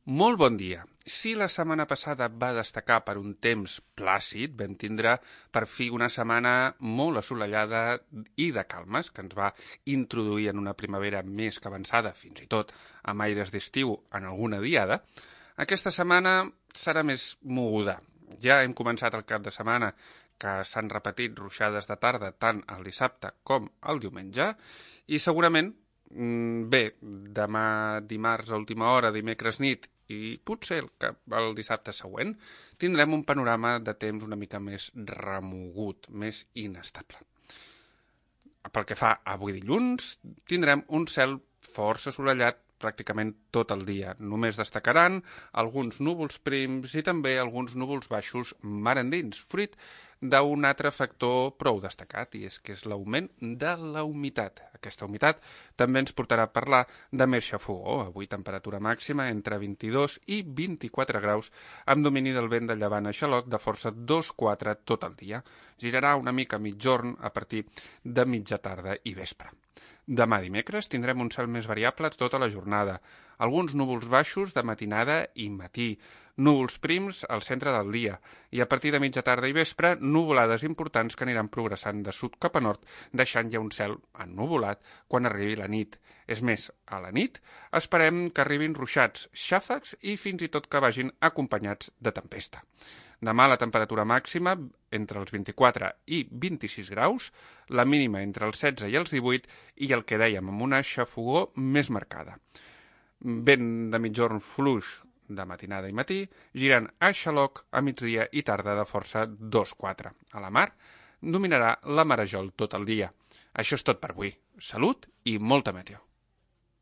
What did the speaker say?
Molt bon dia. Si la setmana passada va destacar per un temps plàcid, vam tindre per fi una setmana molt assolellada i de calmes, que ens va introduir en una primavera més que avançada, fins i tot amb aires d'estiu en alguna diada. Aquesta setmana serà més moguda. Ja hem començat el cap de setmana, que s'han repetit ruixades de tarda tant el dissabte com el diumenge, i segurament, demà dimarts a última hora, dimecres nit, i potser el dissabte següent, tindrem un panorama de temps una mica més remogut, més inestable. Pel que fa a avui dilluns, tindrem un cel força assolellat pràcticament tot el dia. Només destacaran alguns núvols prims i també alguns núvols baixos mar endins, fruit d'un altre factor prou destacat, i és que és l'augment de la humitat. Aquesta humitat també ens portarà a parlar de més xafogor. Avui temperatura màxima entre 22 i 24 graus, amb domini del vent de llevant a xaloc de força 2-4 tot el dia. Girarà una mica mitjorn a partir de mitja tarda i vespre. Demà dimecres tindrem un cel més variable tota la jornada. Alguns núvols baixos de matinada i matí, núvols prims al centre del dia i a partir de mitja tarda i vespre nuvolades importants que aniran progressant de sud cap a nord, deixant ja un cel ennuvolat quan arribi la nit. És més, a la nit esperem que arribin ruixats, xàfecs i fins i tot que vagin acompanyats de tempesta. Demà la temperatura màxima entre els 24 i 26 graus, la mínima entre els 16 i els 18 i el que dèiem amb una xafogor més marcada. Vent de mitjorn fluix de matinada i matí, girant a xaloc a migdia i tarda de força 2-4. A la mar dominarà la marejol tot el dia. Això és tot per avui. Salut i molta meteo.